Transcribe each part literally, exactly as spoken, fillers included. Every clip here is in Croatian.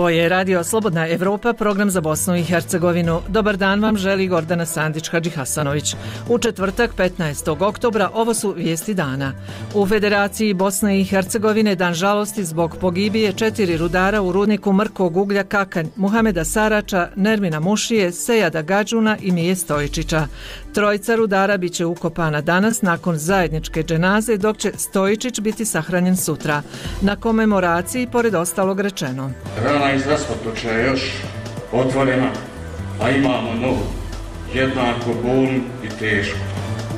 Ovo je Radio Slobodna Evropa, program za Bosnu i Hercegovinu. Dobar dan vam želi Gordana Sandić-Hadžihasanović. U četvrtak petnaestog oktobra ovo su vijesti dana. U Federaciji Bosne i Hercegovine dan žalosti zbog pogibije četiri rudara u rudniku mrkog uglja Kakanj, Muhameda Sarača, Nermina Mušije, Sejada Gadžuna i Mije Stojičića. Trojica rudara bit će ukopana danas nakon zajedničke dženaze, dok će Stojičić biti sahranjen sutra. Na komemoraciji, pored ostalog rečeno: Rana iz raspotoča je još otvorena, a imamo novu, jednako bolnu i tešku.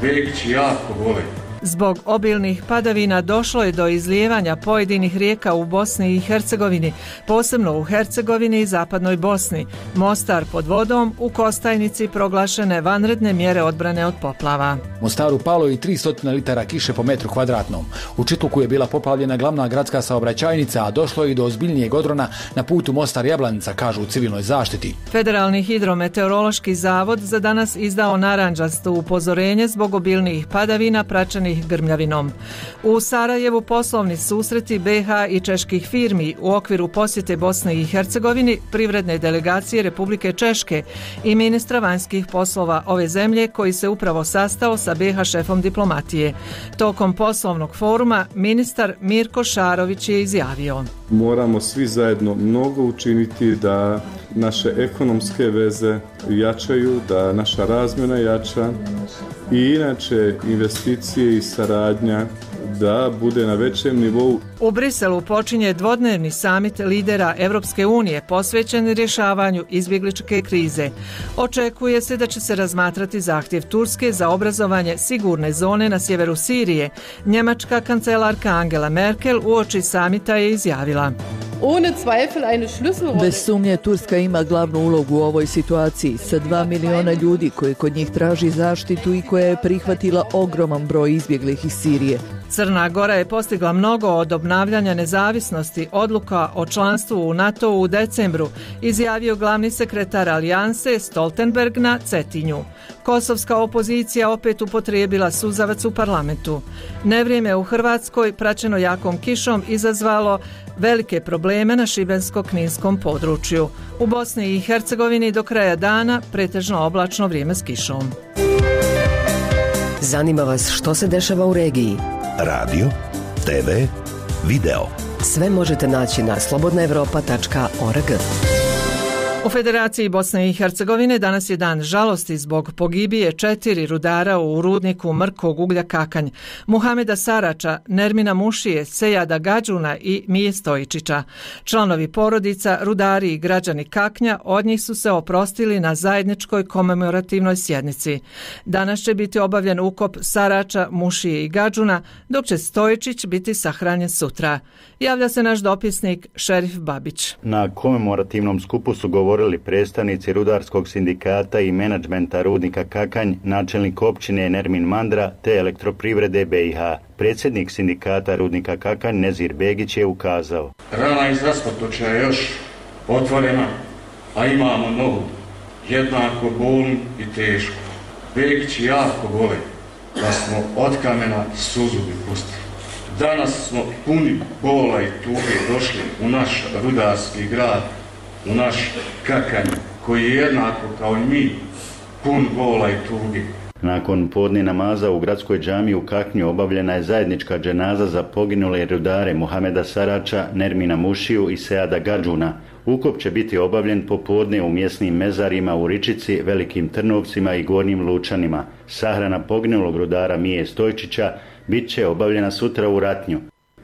Begići jako vole. Zbog obilnih padavina došlo je do izlijevanja pojedinih rijeka u Bosni i Hercegovini, posebno u Hercegovini i zapadnoj Bosni. Mostar pod vodom, u Kostajnici proglašene vanredne mjere odbrane od poplava. Mostaru palo i tristo litara kiše po metru kvadratnom. U Čitluku je bila poplavljena glavna gradska saobraćajnica, a došlo je i do ozbiljnijeg odrona na putu Mostar-Jablanica, kažu u civilnoj zaštiti. Federalni hidrometeorološki zavod za danas izdao narandžasto upozorenje zbog obilnih padavina praćenih grmljavinom. U Sarajevu poslovni susreti be ha i čeških firmi u okviru posjete Bosne i Hercegovini, privredne delegacije Republike Češke i ministra vanjskih poslova ove zemlje koji se upravo sastao sa be ha šefom diplomatije. Tokom poslovnog foruma ministar Mirko Šarović je izjavio: Moramo svi zajedno mnogo učiniti da naše ekonomske veze jačaju, da naša razmjena jača i inače investicije i saradnja da bude na većem nivou. U Briselu počinje dvodnevni samit lidera Evropske unije posvećen rješavanju izbjegličke krize. Očekuje se da će se razmatrati zahtjev Turske za obrazovanje sigurne zone na sjeveru Sirije. Njemačka kancelarka Angela Merkel uoči samita je izjavila: Bez sumnje Turska ima glavnu ulogu u ovoj situaciji sa dva miliona ljudi koji kod njih traži zaštitu i koja je prihvatila ogroman broj izbjeglih iz Sirije. Crna Gora je postigla mnogo od obnavljanja nezavisnosti odluka o članstvu u NATO u decembru, izjavio glavni sekretar Alijanse Stoltenberg na Cetinju. Kosovska opozicija opet upotrijebila suzavac u parlamentu. Nevrijeme u Hrvatskoj, praćeno jakom kišom, izazvalo velike probleme na šibensko-kninskom području. U Bosni i Hercegovini do kraja dana pretežno oblačno vrijeme s kišom. Zanima vas što se dešava u regiji? Radio, te ve, video. Sve možete naći na slobodna evropa tačka org. U Federaciji Bosne i Hercegovine danas je dan žalosti zbog pogibije četiri rudara u rudniku mrkog uglja Kakanj, Muhameda Sarača, Nermina Mušije, Sejada Gadžuna i Mije Stojičića. Članovi porodica, rudari i građani Kaknja od njih su se oprostili na zajedničkoj komemorativnoj sjednici. Danas će biti obavljen ukop Sarača, Mušije i Gadžuna, dok će Stojičić biti sahranjen sutra. Javlja se naš dopisnik Šerif Babić. Na komemorativnom skupu su govorili predstavnici rudarskog sindikata i menadžmenta rudnika Kakanj, načelnik općine Nermin Mandra te elektroprivrede be i ha. Predsjednik sindikata rudnika Kakanj Nezir Begić je ukazao: Rana iz raspotoča je još otvorena, a imamo novu, jednako bolnu i tešku. Begići jako vole da smo od kamena suzu pustili. Danas smo puni bola i tuge došli u naš rudarski grad, u naš Kakanj, koji je jednako kao i mi pun bola i tuge. Nakon podne namaza u gradskoj džamiji u Kaknju obavljena je zajednička dženaza za poginule rudare Muhameda Sarača, Nermina Mušiju i Sejada Gadžuna. Ukop će biti obavljen popodne u mjesnim mezarima u Ričici, Velikim Trnovcima i Gornjim Lučanima. Sahrana poginulog rudara Mije Stojičića bit će obavljena sutra u Ratnju.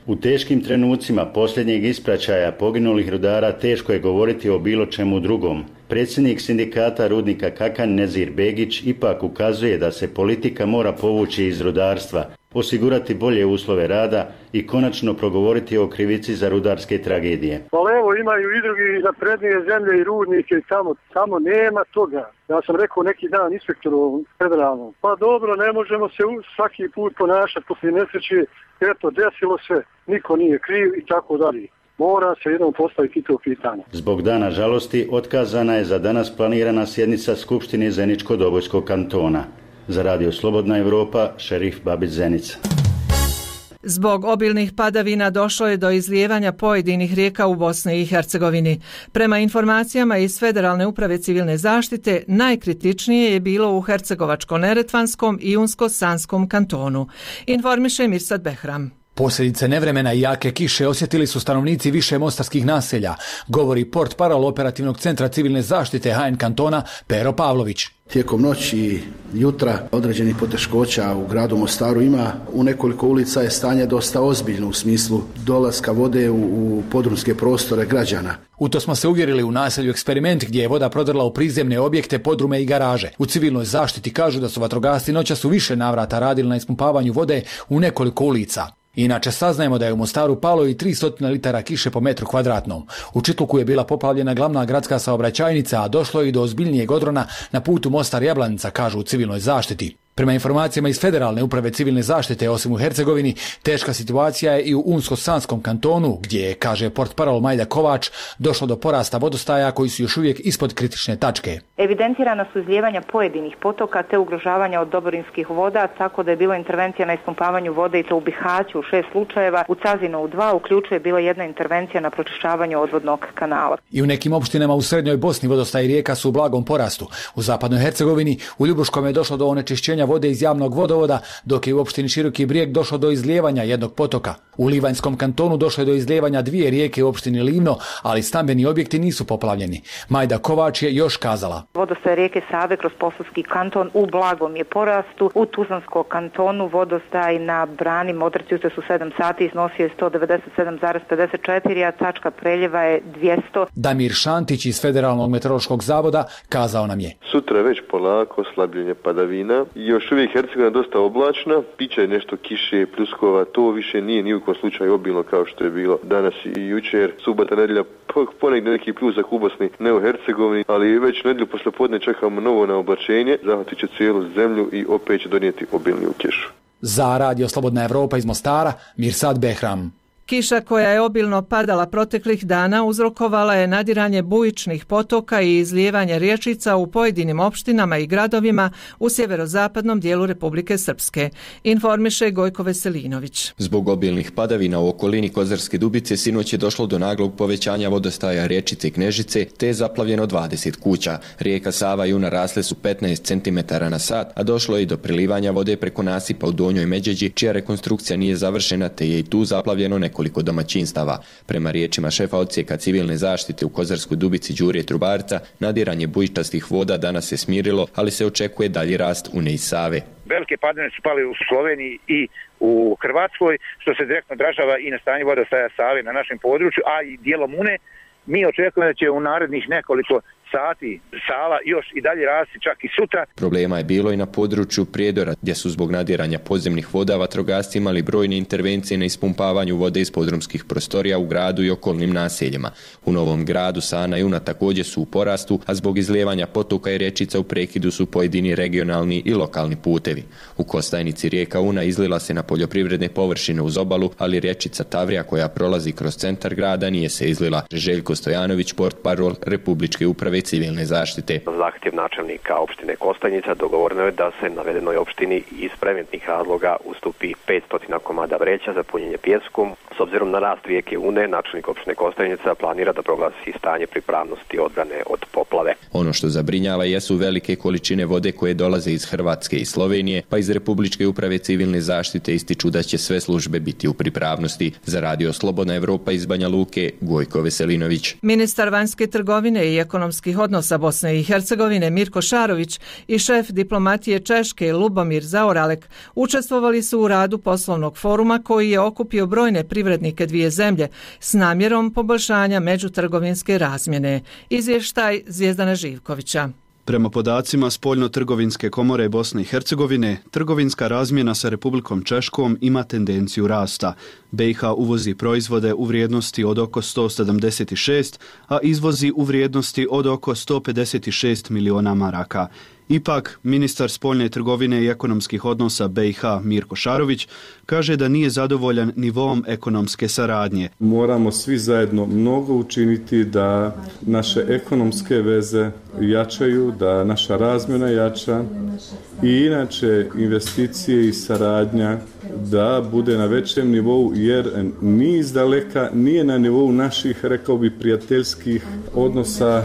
U teškim trenucima posljednjeg ispraćaja poginulih rudara teško je govoriti o bilo čemu drugom. Predsjednik sindikata rudnika Kakanj Nezir Begić ipak ukazuje da se politika mora povući iz rudarstva, osigurati bolje uslove rada i konačno progovoriti o krivici za rudarske tragedije. Pa evo, imaju i drugi naprednije zemlje i rudnike i tamo, tamo nema toga. Ja sam rekao neki dan inspektoru federalnom, pa dobro, ne možemo se svaki put ponašati poslije nesreće, eto, desilo se, niko nije kriv i tako dalje. Mora se jednom postaviti to pitanje. Zbog dana žalosti otkazana je za danas planirana sjednica Skupštine Zeničko-Dobojskog kantona. Za Radio Slobodna Evropa, Šerif Babić, Zenica. Zbog obilnih padavina došlo je do izlijevanja pojedinih rijeka u Bosni i Hercegovini. Prema informacijama iz Federalne uprave civilne zaštite, najkritičnije je bilo u Hercegovačko-neretvanskom i Unsko-Sanskom kantonu. Informiše Mirsad Behram. Posljedice nevremena i jake kiše osjetili su stanovnici više mostarskih naselja, govori portparol operativnog centra civilne zaštite H N kantona Pero Pavlović. Tijekom noći i jutra određenih poteškoća u gradu Mostaru ima. U nekoliko ulica je stanje dosta ozbiljno u smislu dolaska vode u, u podrumske prostore građana. U to smo se uvjerili u naselju Eksperiment gdje je voda prodrla u prizemne objekte, podrume i garaže. U civilnoj zaštiti kažu da su vatrogasci noćas u više navrata radili na ispumpavanju vode u nekoliko ulica. Inače saznajemo da je u Mostaru palo i tristo litara kiše po metru kvadratnom. U Čitluku je bila poplavljena glavna gradska saobraćajnica, a došlo je i do ozbiljnijeg odrona na putu Mostar-Jablanica, kažu u civilnoj zaštiti. Prema informacijama iz Federalne uprave civilne zaštite, osim u Hercegovini, teška situacija je i u Unsko-Sanskom kantonu, gdje je, kaže portparol Majda Kovač, došlo do porasta vodostaja koji su još uvijek ispod kritične tačke. Evidentirana su izlijevanja pojedinih potoka te ugrožavanja od oborinskih voda, tako da je bila intervencija na ispumpavanju vode i to u Bihaću u šest slučajeva, u Cazinu u dva, uključuje bila jedna intervencija na pročišćavanju odvodnog kanala. I u nekim opštinama u srednjoj Bosni vodostaj rijeka su u blagom porastu. U zapadnoj Hercegovini u Ljubuškom je došlo do onečišćenja vode iz javnog vodovoda, dok je u opštini Široki Brijeg došlo do izlijevanja jednog potoka. U Livanjskom kantonu došlo je do izlijevanja dvije rijeke u opštini Livno, ali stambeni objekti nisu poplavljeni. Majda Kovač je još kazala. Vodostaj rijeke Save kroz Posavski kanton u blagom je porastu. U Tuzlanskom kantonu vodostaj na brani Modrici jutros u sedam sati iznosio je sto devedeset sedam zarez pedeset četiri, a tačka preljeva je dvjesto. Damir Šantić iz Federalnog meteorološkog zavoda kazao nam je. Sutra je već polako slabljenje padavina. Još uvijek Hercegovina dosta oblačna, piće nešto kiše, pljuskova, to više nije ni u kom slučaju obilno kao što je bilo danas i jučer. Subota, nedjelja, ponegdje neki pljusak u Bosni, ne u Hercegovini, ali već nedjelju poslijepodne čekamo novo na oblačenje, zahvatit će cijelu zemlju i opet će donijeti obilniju kišu. Za Radio Slobodna Evropa iz Mostara, Mirsad Behram. Kiša koja je obilno padala proteklih dana uzrokovala je nadiranje bujičnih potoka i izlijevanje riječica u pojedinim opštinama i gradovima u sjeverozapadnom dijelu Republike Srpske, informiše Gojko Veselinović. Zbog obilnih padavina u okolini Kozarske Dubice sinoć je došlo do naglog povećanja vodostaja riječice Knežice, te je zaplavljeno dvadeset kuća. Rijeka Sava i Una rasle su petnaest centimetara na sat, a došlo je i do prilivanja vode preko nasipa u Donjoj Međeđi, čija rekonstrukcija nije završena, te je i tu zaplavljeno nekoliko nekoliko domaćinstava. Prema riječima šefa odsjeka civilne zaštite u Kozarskoj Dubici Đure Trubarca, nadiranje bujičastih voda danas se smirilo, ali se očekuje dalji rast Une i Save. Velike padavine su pali u Sloveniji i u Hrvatskoj, što se direktno odražava i na stanje vodostaja Save na našem području, a i dijelom Une. Mi očekujemo da će u narednih nekoliko sati Sava još i dalje rasti, čak i sutra. Problema je bilo i na području Prijedora, gdje su zbog nadiranja podzemnih voda vatrogasci imali brojne intervencije na ispumpavanju vode iz podrumskih prostorija u gradu i okolnim naseljima. U Novom Gradu Sana i Una također su u porastu, a zbog izlijevanja potoka i rječica u prekidu su pojedini regionalni i lokalni putevi. U Kostajnici rijeka Una izlila se na poljoprivredne površine uz obalu, ali rječica Tavrija koja prolazi kroz centar grada nije se izlila. Željko Stojanović, portparol Republičke uprave civilne zaštite. Zahtjev načelnika opštine Kostajnica dogovoreno je da se navedenoj opštini iz preventnih razloga ustupi petsto komada vreća za punjenje pijeskom. S obzirom na rast rijeke Une, načelnik opštine Kostajnica planira da proglasi stanje pripravnosti odbrane od poplave. Ono što zabrinjava jesu velike količine vode koje dolaze iz Hrvatske i Slovenije, pa iz Republičke uprave civilne zaštite ističu da će sve službe biti u pripravnosti. Za Radio Slobodna Evropa iz Banja Luke, Gojko Veselinović. Ministar vanjske trgovine i ekonomskih odnosa Bosne i Hercegovine Mirko Šarović i šef diplomatije Češke Lubomir Zaoralek učestvovali su u radu poslovnog foruma koji je okupio brojne privrednike dvije zemlje s namjerom poboljšanja međutrgovinske razmjene. Izvještaj Zvijezdana Živkovića. Prema podacima Spoljno-trgovinske komore Bosne i Hercegovine, trgovinska razmjena sa Republikom Češkom ima tendenciju rasta. B i H uvozi proizvode u vrijednosti od oko sto sedamdeset šest, a izvozi u vrijednosti od oko sto pedeset šest miliona maraka. Ipak, ministar spoljne trgovine i ekonomskih odnosa B i H Mirko Šarović kaže da nije zadovoljan nivom ekonomske saradnje. Moramo svi zajedno mnogo učiniti da naše ekonomske veze jačaju, da naša razmjena jača i inače investicije i saradnja da bude na većem nivou, jer ni izdaleka nije na nivou naših, rekao bi, prijateljskih odnosa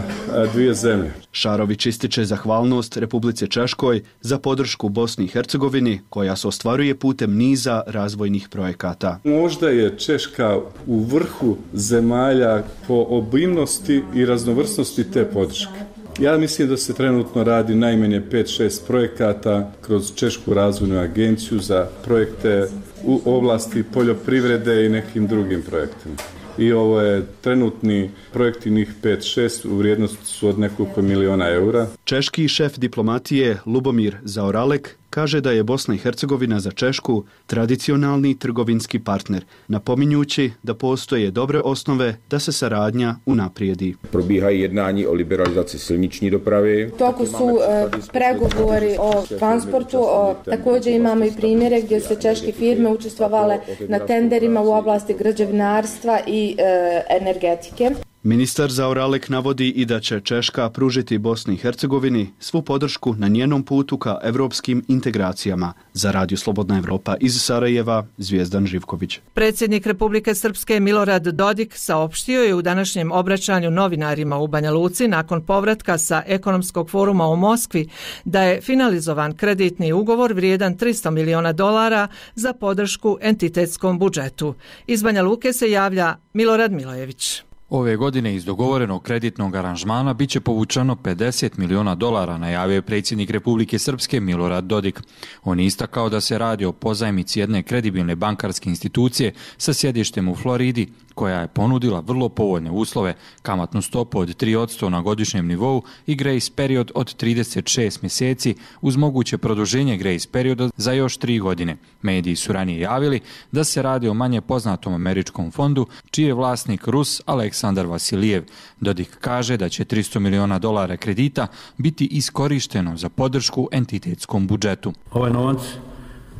dvije zemlje. Šarović ističe zahvalnost Republici Češkoj za podršku Bosni i Hercegovini, koja se ostvaruje putem niza razvojnih projekata. Možda je Češka u vrhu zemalja po obimnosti i raznovrsnosti te podrške. Ja mislim da se trenutno radi najmanje pet šest projekata kroz Češku razvojnu agenciju za projekte u oblasti poljoprivrede i nekim drugim projektima. I ovo je trenutni projekti, njih pet šest, u vrijednosti su od nekoliko miliona eura. Češki šef diplomatije Lubomir Zaoralek kaže da je Bosna i Hercegovina za Češku tradicionalni trgovinski partner, napominjući da postoje dobre osnove da se saradnja unaprijedi. Probíhají jednání o liberalizaci silniční dopravy. Toku su e, pregovori o transportu, o, također imamo i primjere gdje su češke firme učestvovale na tenderima u oblasti građevinarstva i e, energetike. Ministar Zaoralek navodi i da će Češka pružiti Bosni i Hercegovini svu podršku na njenom putu ka evropskim integracijama. Za Radio Slobodna Evropa iz Sarajeva, Zvijezdan Živković. Predsjednik Republike Srpske Milorad Dodik saopštio je u današnjem obraćanju novinarima u Banja Luci nakon povratka sa ekonomskog foruma u Moskvi da je finalizovan kreditni ugovor vrijedan tristo miliona dolara za podršku entitetskom budžetu. Iz Banja Luke se javlja Milorad Milojević. Ove godine iz dogovorenog kreditnog aranžmana bit će povučeno pedeset miliona dolara, najavio je predsjednik Republike Srpske Milorad Dodik. On je istakao da se radi o pozajmici jedne kredibilne bankarske institucije sa sjedištem u Floridi, koja je ponudila vrlo povoljne uslove, kamatnu stopu od tri posto na godišnjem nivou i grace period od trideset šest mjeseci uz moguće produženje grace perioda za još tri godine. Mediji su ranije javili da se radi o manje poznatom američkom fondu, čiji je vlasnik Rus Aleksandar Vasilijev. Dodik kaže da će tristo miliona dolara kredita biti iskorišteno za podršku entitetskom budžetu. Ovaj novac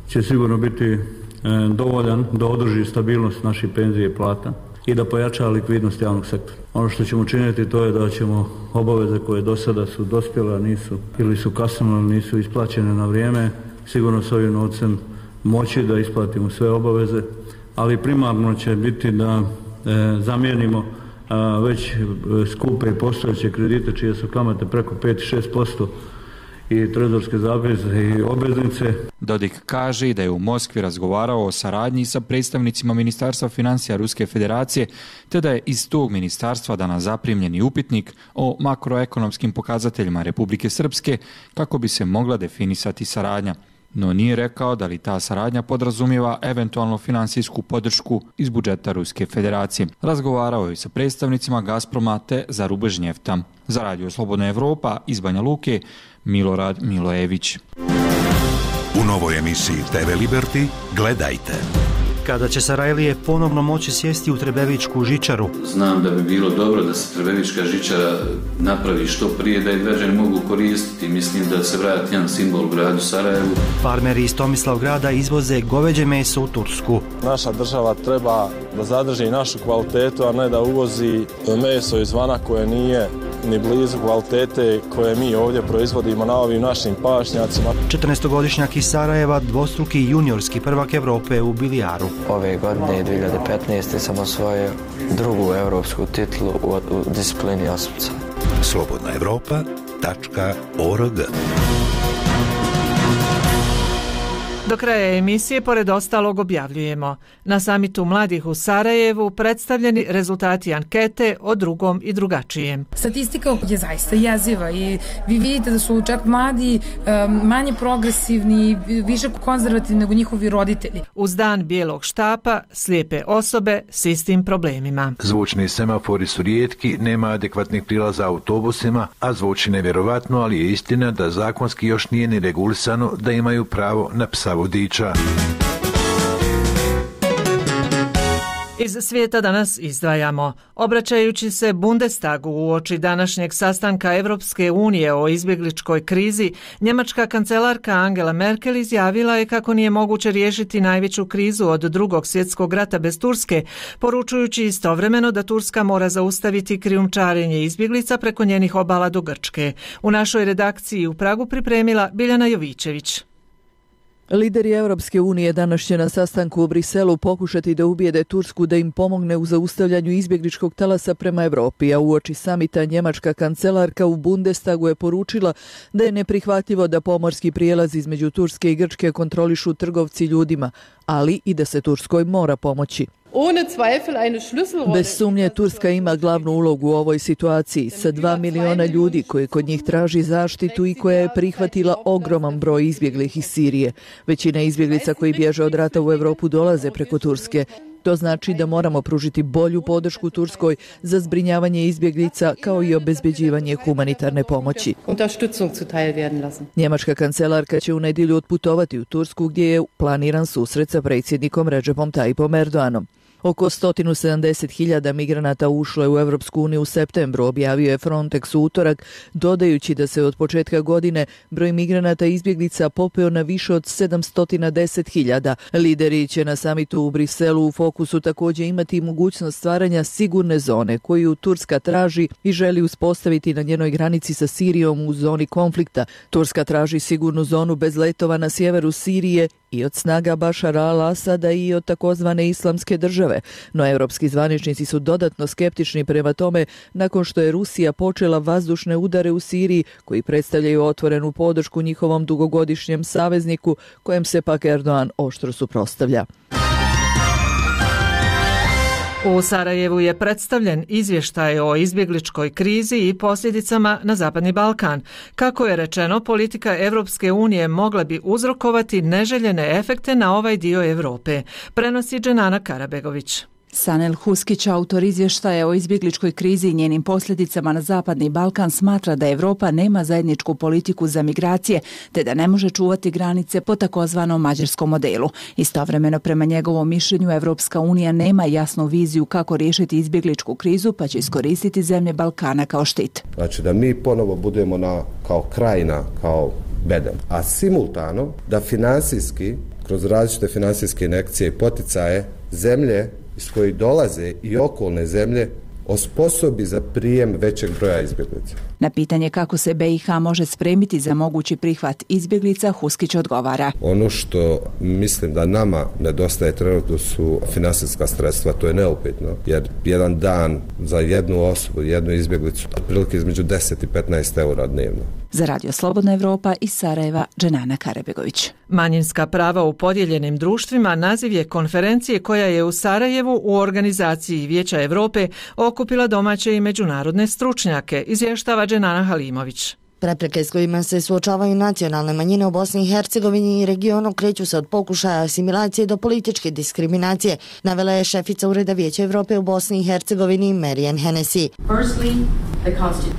će sigurno biti dovoljan da održi stabilnost naših penzije i plata i da pojača likvidnost javnog sektora. Ono što ćemo činiti to je da ćemo obaveze koje do sada su dospjele, nisu ili su kasnile, nisu isplaćene na vrijeme, sigurno s ovim novcem moći da isplatimo sve obaveze, ali primarno će biti da e, zamijenimo a, već skupe postojeće kredite čije su kamate preko pet do šest posto i trezorske zapise i obveznice. Dodik kaže da je u Moskvi razgovarao o saradnji sa predstavnicima Ministarstva financija Ruske federacije, te da je iz tog ministarstva danas zaprimljeni upitnik o makroekonomskim pokazateljima Republike Srpske kako bi se mogla definisati saradnja. No nije rekao da li ta saradnja podrazumijeva eventualno finansijsku podršku iz budžeta Ruske federacije. Razgovarao je sa predstavnicima Gazproma te Zarubežnjefta. Za Radio Slobodna Evropa iz Banja Luke, Milorad Milojević. U novoj emisiji te ve Liberty gledajte. Kada će Sarajlije ponovno moći sjesti u Trebevičku žičaru. Znam da bi bilo dobro da se Trebevička žičara napravi što prije, da je građani mogu koristiti. Mislim da se vrati jedan simbol u gradu Sarajevu. Farmeri iz Tomislavgrada izvoze goveđe meso u Tursku. Naša država treba da zadrži našu kvalitetu, a ne da uvozi meso izvana koje nije ni blizu kvalitete koje mi ovdje proizvodimo na ovim našim pašnjacima. četrnaestogodišnjak iz Sarajeva, dvostruki juniorski prvak Evrope u bilijaru. Ove godine, dvije hiljade petnaeste. sam osvojio drugu evropsku titulu u, u disciplini osmca. slobodna evropa tačka org. Do kraja emisije, pored ostalog, objavljujemo. Na samitu mladih u Sarajevu predstavljeni rezultati ankete o drugom i drugačijem. Statistika je zaista jeziva i vi vidite da su čak mladi um, manje progresivni, više konzervativni nego njihovi roditelji. Uz dan bijelog štapa, slijepe osobe s istim problemima. Zvučni semafori su rijetki, nema adekvatnih prilaza autobusima, a zvuči nevjerovatno, ali je istina da zakonski još nije ni regulisano da imaju pravo na psa vodiča. Iz svijeta danas izdvajamo. Obraćajući se Bundestagu uoči današnjeg sastanka Evropske unije o izbjegličkoj krizi, njemačka kancelarka Angela Merkel izjavila je kako nije moguće riješiti najveću krizu od drugog svjetskog rata bez Turske, poručujući istovremeno da Turska mora zaustaviti krijumčarenje izbjeglica preko njenih obala do Grčke. U našoj redakciji u Pragu pripremila Biljana Jovićević. Lideri Europske unije danas će na sastanku u Briselu pokušati da ubijede Tursku da im pomogne u zaustavljanju izbjegličkog talasa prema Europi, a uoči samita njemačka kancelarka u Bundestagu je poručila da je neprihvatljivo da pomorski prijelaz između Turske i Grčke kontrolišu trgovci ljudima, ali i da se Turskoj mora pomoći. Bez sumnje Turska ima glavnu ulogu u ovoj situaciji sa dva miliona ljudi koji kod njih traži zaštitu i koja je prihvatila ogroman broj izbjeglih iz Sirije. Većina izbjeglica koji bježe od rata u Europu dolaze preko Turske. To znači da moramo pružiti bolju podršku Turskoj za zbrinjavanje izbjeglica kao i obezbeđivanje humanitarne pomoći. Njemačka kancelarka će u nedjelju otputovati u Tursku gdje je planiran susret sa predsjednikom Recepom Tayyipom Erdoganom. Oko sto sedamdeset hiljada migranata ušlo je u Europsku uniju u septembru, objavio je Frontex u utorak, dodajući da se od početka godine broj migranata i izbjeglica popeo na više od sedamsto deset hiljada. Lideri će na samitu u Briselu u fokusu također imati mogućnost stvaranja sigurne zone koju Turska traži i želi uspostaviti na njenoj granici sa Sirijom u zoni konflikta. Turska traži sigurnu zonu bez letova na sjeveru Sirije i od snaga Bašara al-Asada i od takozvane islamske države, no europski zvaničnici su dodatno skeptični prema tome nakon što je Rusija počela vazdušne udare u Siriji koji predstavljaju otvorenu podršku njihovom dugogodišnjem savezniku kojem se pak Erdogan oštro suprotstavlja. U Sarajevu je predstavljen izvještaj o izbjegličkoj krizi i posljedicama na Zapadni Balkan. Kako je rečeno, politika Evropske unije mogla bi uzrokovati neželjene efekte na ovaj dio Europe, prenosi Dženana Karabegović. Sanel Huskić, autor izvještaja o izbjegličkoj krizi i njenim posljedicama na Zapadni Balkan, smatra da Europa nema zajedničku politiku za migracije, te da ne može čuvati granice po takozvanom mađarskom modelu. Istovremeno, prema njegovom mišljenju, Evropska unija nema jasnu viziju kako riješiti izbjegličku krizu, pa će iskoristiti zemlje Balkana kao štit. Znači da mi ponovo budemo na, kao krajina, kao bedem, a simultano da finansijski, kroz različite finansijske injekcije i poticaje, zemlje iz kojih dolaze i okolne zemlje osposobi za prijem većeg broja izbjeglica. Na pitanje kako se B i H može spremiti za mogući prihvat izbjeglica, Huskić odgovara. Ono što mislim da nama nedostaje trenutno su finansijska sredstva, to je neupitno, jer jedan dan za jednu osobu, jednu izbjeglicu, otprilike između deset i petnaest eura dnevno. Za Radio Slobodna Evropa iz Sarajeva, Dženana Karabegović. Manjinska prava u podijeljenim društvima naziv je konferencije koja je u Sarajevu u organizaciji Vijeća Europe okupila domaće i međunarodne stručnjake, izvještava Dženana Halimović. Prepreke s kojima se suočavaju nacionalne manjine u Bosni i Hercegovini i regionu kreću se od pokušaja asimilacije do političke diskriminacije, navela je šefica Ureda Vijeća Evrope u Bosni i Hercegovini Marijan Hennessy.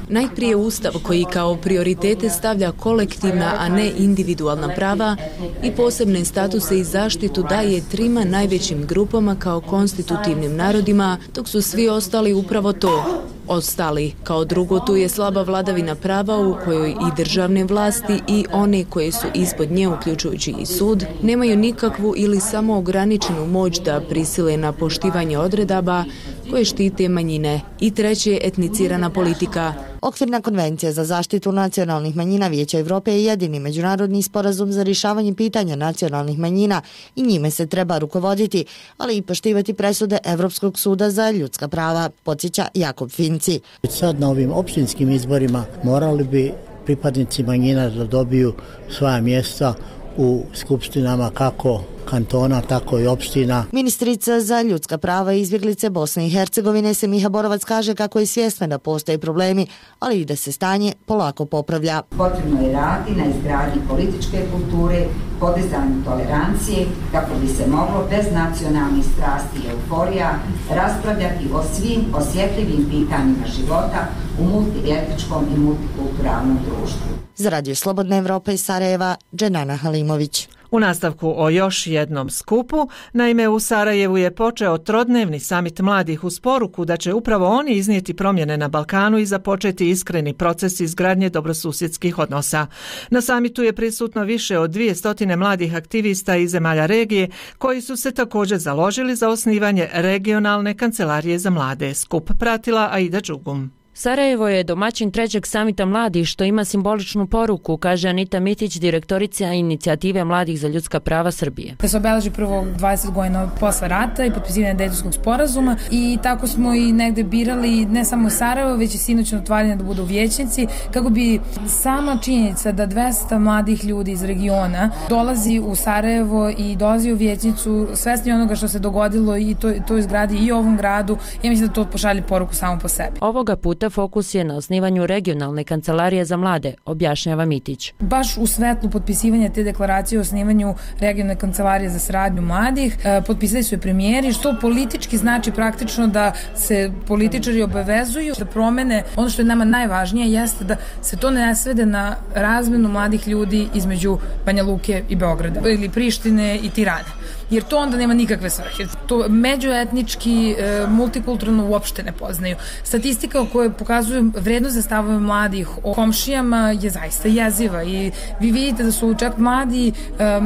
Najprije Ustav koji kao prioritete stavlja kolektivna, a ne individualna prava i posebne statuse i zaštitu daje trima najvećim grupama kao konstitutivnim narodima, dok su svi ostali upravo to. Ostali. Kao drugo, tu je slaba vladavina prava u kojoj i državne vlasti i one koje su ispod nje, uključujući i sud, nemaju nikakvu ili samo ograničenu moć da prisile na poštivanje odredaba koje štite manjine. I treće, etnicirana politika. Okvirna konvencija za zaštitu nacionalnih manjina Vijeća Evrope je jedini međunarodni sporazum za rješavanje pitanja nacionalnih manjina i njime se treba rukovoditi, ali i poštivati presude Evropskog suda za ljudska prava, podsjeća Jakob Finci. Sad na ovim opštinskim izborima morali bi pripadnici manjina da dobiju svoja mjesta u skupštinama kako kantona, tako i opština. Ministrica za ljudska prava i izbjeglice Bosne i Hercegovine Semiha Borovac kaže kako je svjesna da postoje problemi, ali i da se stanje polako popravlja. Potrebno je raditi na izgradnji političke kulture, podizanju tolerancije, kako bi se moglo bez nacionalnih strasti i euforija raspravljati o svim osjetljivim pitanjima života u multietničkom i multikulturalnom društvu. Za Radio Slobodna Evropa iz Sarajeva, Dženana Halimović. U nastavku o još jednom skupu, naime u Sarajevu je počeo trodnevni samit mladih uz poruku da će upravo oni iznijeti promjene na Balkanu i započeti iskreni proces izgradnje dobrosusjedskih odnosa. Na samitu je prisutno više od dvije stotine mladih aktivista iz zemalja regije koji su se također založili za osnivanje regionalne kancelarije za mlade. Skup pratila Aida Đugum. Sarajevo je domaćin trećeg samita mladih, što ima simboličnu poruku, kaže Anita Mitić, direktorica inicijative Mladih za ljudska prava Srbije. Da se obeleži prvo dvadeset godina posle rata i potpisivanje Dejtonskog sporazuma i tako smo i negde birali ne samo Sarajevo, već i sinoćno otvaranje da budu vijećnici, kako bi sama činjenica da dvesta mladih ljudi iz regiona dolazi u Sarajevo i dolazi u vijećnicu svesni onoga što se dogodilo i to, to izgradi i ovom gradu, ja mislim da to pošalje poruku samo po sebi. Ovoga puta fokus je na osnivanju regionalne kancelarije za mlade, objašnjava Mitić. Baš u svetlu potpisivanja te deklaracije o osnivanju regionalne kancelarije za saradnju mladih, potpisali su i premijeri, što politički znači praktično da se političari obavezuju da promene. Ono što je nama najvažnije jeste da se to ne svede na razmenu mladih ljudi između Banja Luke i Beograda ili Prištine i Tirane. Jer to onda nema nikakve svrhe. To međuetnički, multikulturno uopšte ne poznaju. Statistika o kojoj pokazuju vrednost za stavove mladih o komšijama je zaista jeziva i vi vidite da su čak mladi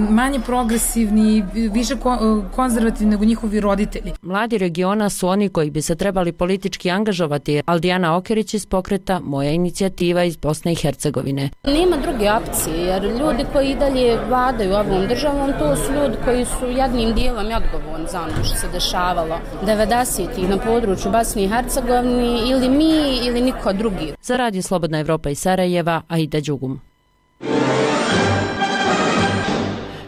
manje progresivni, više konzervativni nego njihovi roditelji. Mladi regiona su oni koji bi se trebali politički angažovati. Aldijana Okerić iz pokreta Moja inicijativa iz Bosne i Hercegovine. Nema druge opcije, jer ljudi koji i dalje vladaju ovom državom, to su ljudi koji su jednim dijelom i odgovorni za ono što se dešavalo devedesetih na području Bosne i Hercegovine, ili mi ili niko drugi. Za Radio Slobodna Evropa iz Sarajeva, Aida Đugum.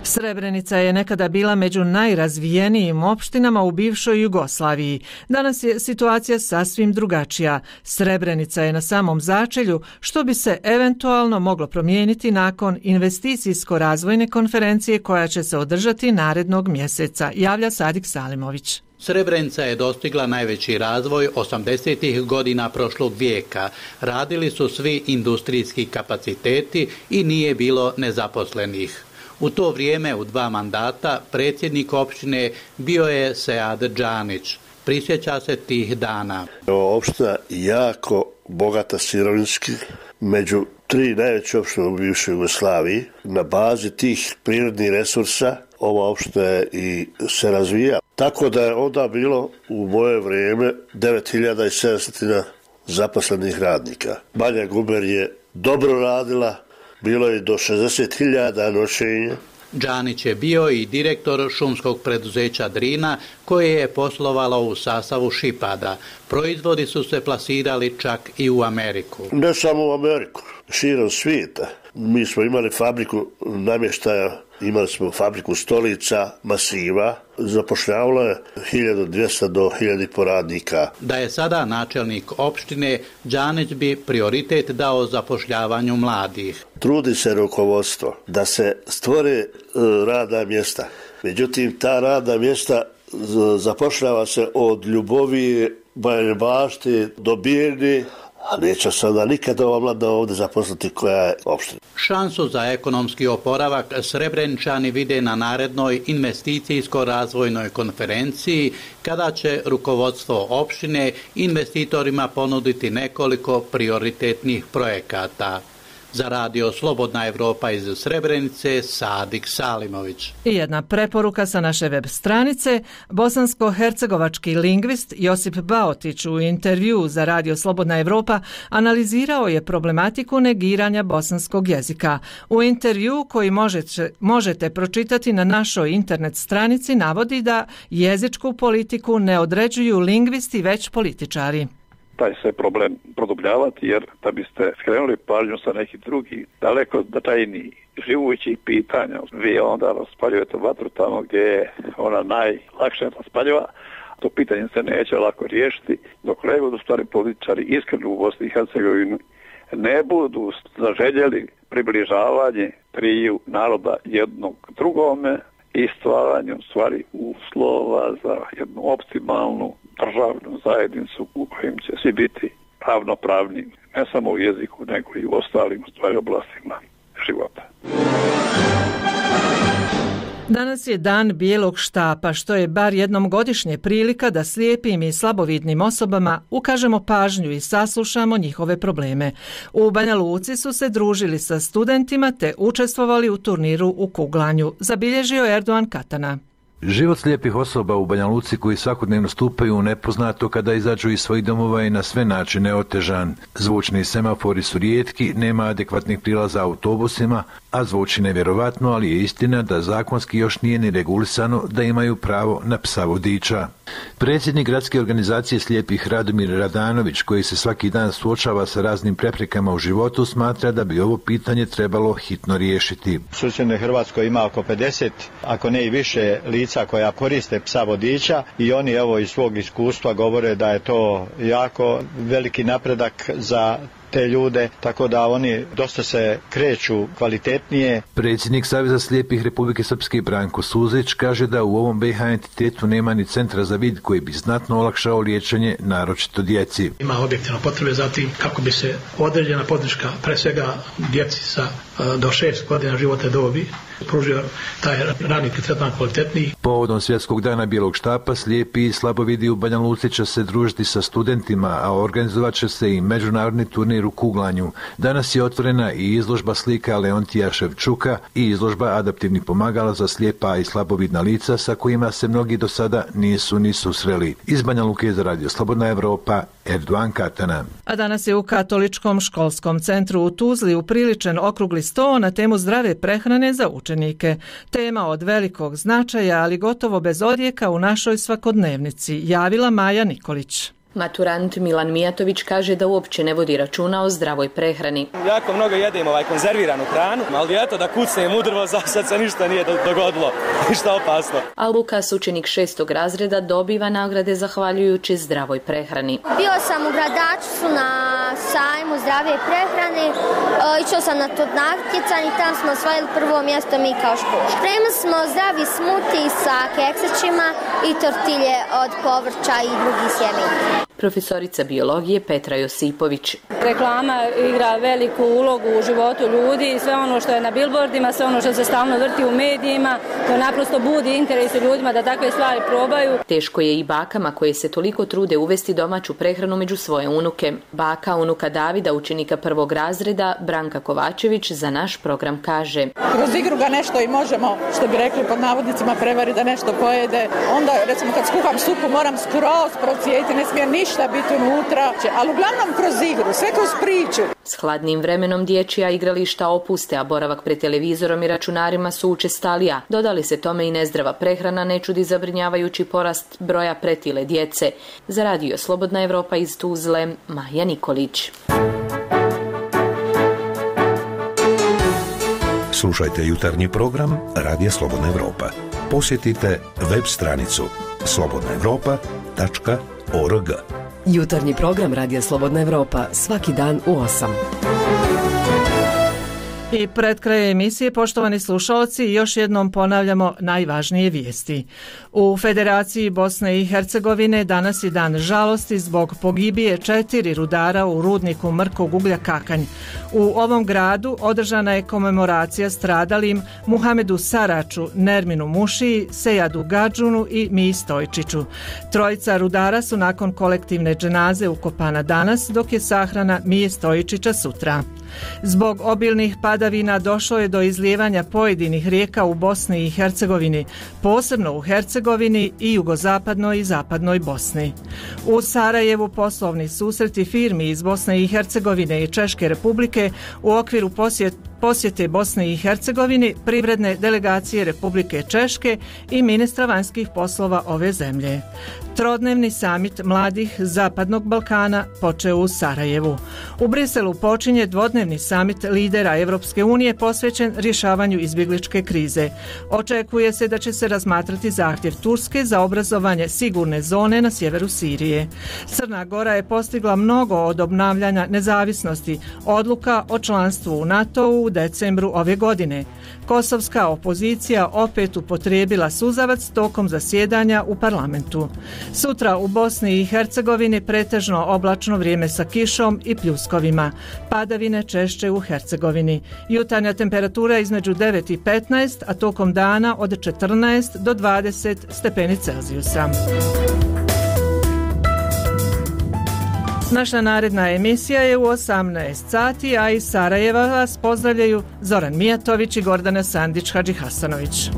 Srebrenica je nekada bila među najrazvijenijim opštinama u bivšoj Jugoslaviji. Danas je situacija sasvim drugačija. Srebrenica je na samom začelju, što bi se eventualno moglo promijeniti nakon investicijsko-razvojne konferencije koja će se održati narednog mjeseca, javlja Sadik Salimović. Srebrenica je dostigla najveći razvoj osamdesetih godina prošlog vijeka. Radili su svi industrijski kapaciteti i nije bilo nezaposlenih. U to vrijeme, u dva mandata, predsjednik opštine bio je Sead Džanić. Prisjeća se tih dana. Opština jako bogata sirovinski, među tri najveće opštine u bivšoj Jugoslaviji. Na bazi tih prirodnih resursa ova opština je i se razvija. Tako da je onda bilo u moje vrijeme devet hiljada sedamsto zaposlenih radnika. Banja Guber je dobro radila, bilo je do šezdeset hiljada noćenja. Džanić je bio i direktor šumskog preduzeća Drina, koje je poslovalo u sastavu Šipada. Proizvodi su se plasirali čak i u Ameriku. Ne samo u Ameriku, širom svijeta. Mi smo imali fabriku namještaja, imali smo fabriku stolica, masiva, zapošljavalo je hiljadu dvjesto do hiljadu radnika. Da je sada načelnik opštine, Džanić bi prioritet dao zapošljavanju mladih. Trudi se rukovodstvo da se stvore radna mjesta. Međutim, ta radna mjesta zapošljava se od Ljubovije, Bajine Bašte do Bijerne, a neće sada nikada ova mlada ovdje zaposliti koja je opština. Šansu za ekonomski oporavak Srebreničani vide na narednoj investicijsko-razvojnoj konferenciji, kada će rukovodstvo opštine investitorima ponuditi nekoliko prioritetnih projekata. Za Radio Slobodna Evropa iz Srebrenice, Sadik Salimović. I jedna preporuka sa naše web stranice. Bosansko-hercegovački lingvist Josip Baotić u intervjuu za Radio Slobodna Evropa analizirao je problematiku negiranja bosanskog jezika. U intervjuu koji možete, možete pročitati na našoj internet stranici navodi da jezičku politiku ne određuju lingvisti već političari. Taj se problem produbljavati, jer da biste skrenuli pažnju sa nekih drugih, daleko značajnijih živućih pitanja, vi onda raspaljujete vatru tamo gdje je ona najlakše raspaljiva. To pitanje se neće lako riješiti, dok legod u stvari političari iskreno u Bosni i Hercegovini ne budu zaželjeli približavanje triju naroda jednog drugome i stvaranju stvari uslova za jednu optimalnu državnu zajednicu u kojem će svi biti ravnopravni, ne samo u jeziku, nego i u ostalim stvari oblastima života. Danas je dan bijelog štapa, što je bar jednom godišnje prilika da slijepim i slabovidnim osobama ukažemo pažnju i saslušamo njihove probleme. U Banja Luci su se družili sa studentima te učestvovali u turniru u kuglanju, zabilježio Erdogan Katana. Život slijepih osoba u Banja Luci koji svakodnevno stupaju u nepoznato kada izađu iz svojih domova je na sve načine otežan. Zvučni semafori su rijetki, nema adekvatnih prilaza autobusima, a zvuči nevjerovatno, ali je istina da zakonski još nije ni regulisano da imaju pravo na psa vodiča. Predsjednik gradske organizacije slijepih Radomir Radanović, koji se svaki dan suočava sa raznim preprekama u životu, smatra da bi ovo pitanje trebalo hitno riješiti. U susjednoj Hrvatskoj ima oko pedeset, ako ne i više lica koja koriste psa vodiča i oni evo iz svog iskustva govore da je to jako veliki napredak za te ljude, tako da oni dosta se kreću kvalitetnije. Predsjednik Saveza slijepih Republike Srpske Branko Suzić kaže da u ovom B i H entitetu nema ni centra za vid koji bi znatno olakšao liječenje, naročito djeci. Ima objektivno potrebe za tim kako bi se određena podrška, pre svega djeci sa do šest godina životne dobi, pružio taj rani tretman kvalitetniji. Povodom Svjetskog dana bijelog štapa, slijepi i slabovidi u Banja Luci će se družiti sa studentima, a organizovat će se i međunarodni turnir u kuglanju. Danas je otvorena i izložba slika Leontija Ševčuka i izložba adaptivnih pomagala za slijepa i slabovidna lica sa kojima se mnogi do sada nisu ni susreli. Iz Banja Luke za radio Slobodna Evropa, Erdogan Katana. A danas je u Katoličkom školskom centru u Tuzli upriličen okrugli sto na temu zdrave prehrane za učenike. Tema od velikog značaja, ali gotovo bez odjeka u našoj svakodnevnici, javila Maja Nikolić. Maturant Milan Mijatović kaže da uopće ne vodi računa o zdravoj prehrani. Jako mnogo jedem ovaj konzerviranu hranu, ali eto da kucnem u drvo, za sad se ništa nije dogodilo, ništa opasno. A Lukas, učenik šestog razreda, dobiva nagrade zahvaljujući zdravoj prehrani. Bio sam u Gradačcu na sajmu zdrave prehrane, išao sam na to natjecanje i tamo smo osvojili prvo mjesto mi kao škola. Spremili smo zdravi smuti sa keksićima i tortilje od povrća i drugih sjemenja. Profesorica biologije Petra Josipović. Reklama igra veliku ulogu u životu ljudi, sve ono što je na billboardima, sve ono što se stalno vrti u medijima, to naprosto budi interes u ljudima da takve stvari probaju. Teško je i bakama koje se toliko trude uvesti domaću prehranu među svoje unuke. Baka unuka Davida, učenika prvog razreda, Branka Kovačević, za naš program kaže: kroz igru ga nešto i možemo, što bi rekli pod navodnicima, prevari da nešto pojede. Onda, recimo, kad skuham supu moram skroz procijediti, ne smije ništa biti unutra, ali uglavnom kroz igru, sve kroz priču. S hladnim vremenom dječja igrališta opuste, a boravak pred televizorom i računarima su učestalija. Dodali se tome i nezdrava prehrana, ne čudi zabrinjavajući porast broja pretile djece. Za radio Slobodna Evropa iz Tuzle, Maja Nikolić. Slušajte jutarnji program Radija Slobodna Evropa. Posjetite web stranicu slobodna evropa tačka org. Jutarnji program Radija Slobodna Evropa svaki dan u osam. I pred krajem emisije, poštovani slušalci, još jednom ponavljamo najvažnije vijesti. U Federaciji Bosne i Hercegovine danas je dan žalosti zbog pogibije četiri rudara u rudniku mrkog uglja Kakanj. U ovom gradu održana je komemoracija stradalim Muhamedu Saraču, Nerminu Mušiji, Sejadu Gadžunu i Miji Stojčiću. Trojica rudara su nakon kolektivne dženaze ukopana danas, dok je sahrana Mije Stojčića sutra. Zbog obilnih padavina došlo je do izlijevanja pojedinih rijeka u Bosni i Hercegovini, posebno u Hercegovini i jugozapadnoj i zapadnoj Bosni. U Sarajevu poslovni susreti firmi iz Bosne i Hercegovine i Češke Republike u okviru posjet posjete Bosne i Hercegovine, privredne delegacije Republike Češke i ministra vanjskih poslova ove zemlje. Trodnevni samit mladih Zapadnog Balkana počeo u Sarajevu. U Briselu počinje dvodnevni samit lidera Evropske unije posvećen rješavanju izbjegličke krize. Očekuje se da će se razmatrati zahtjev Turske za obrazovanje sigurne zone na sjeveru Sirije. Crna Gora je postigla mnogo od obnavljanja nezavisnosti, odluka o članstvu u NATO-u u decembru ove godine. Kosovska opozicija opet upotrijebila suzavac tokom zasjedanja u parlamentu. Sutra u Bosni i Hercegovini pretežno oblačno vrijeme sa kišom i pljuskovima. Padavine češće u Hercegovini. Jutarnja temperatura između devet i petnaest, a tokom dana od četrnaest do dvadeset stepeni Celzijusa. Naša naredna emisija je u osamnaest sati, a iz Sarajeva vas pozdravljaju Zoran Mijatović i Gordana Sandić Hadžihasanović.